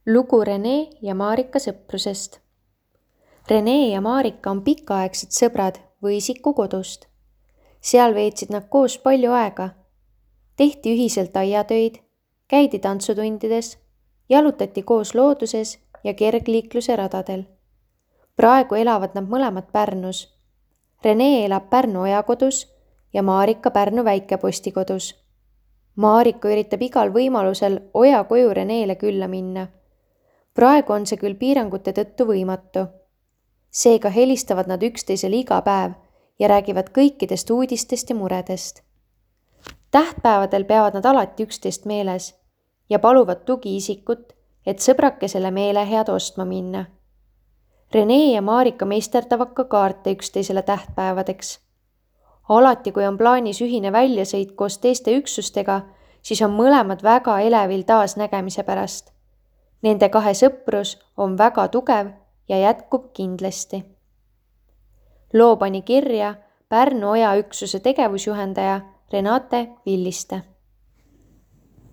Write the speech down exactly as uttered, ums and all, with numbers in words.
Lugu Rene ja Marika sõprusest. Rene ja Marika on pikaaegsed sõbrad Võisiku kodust. Seal veetsid nad koos palju aega. Tehti ühiselt aiatöid, käidi tantsutundides, jalutati koos looduses ja kergliikluse radadel. Praegu elavad nad mõlemad Pärnus. Rene elab Pärnu Ojakodus ja Marika Pärnu Väikeposti kodus. Marika üritab igal võimalusel Oja koju Renele külla minna. Praegu on see küll piirangute tõttu võimatu. Seega helistavad nad üksteisele iga päev ja räägivad kõikidest uudistest ja muredest. Tähtpäevadel peavad nad alati üksteist meeles ja paluvad tugiisikut, et sõbrakesele meelehead ostma minna. Rene ja Marika meisterdavad ka kaarte üksteisele tähtpäevadeks. Alati, kui on plaanis ühine väljasõit koos teiste üksustega, siis on mõlemad väga elevil taasnägemise pärast. Nende kahe sõprus on väga tugev ja jätkub kindlasti. Loo pani kirja Pärnu Oja üksuse tegevusjuhendaja Renate Villiste.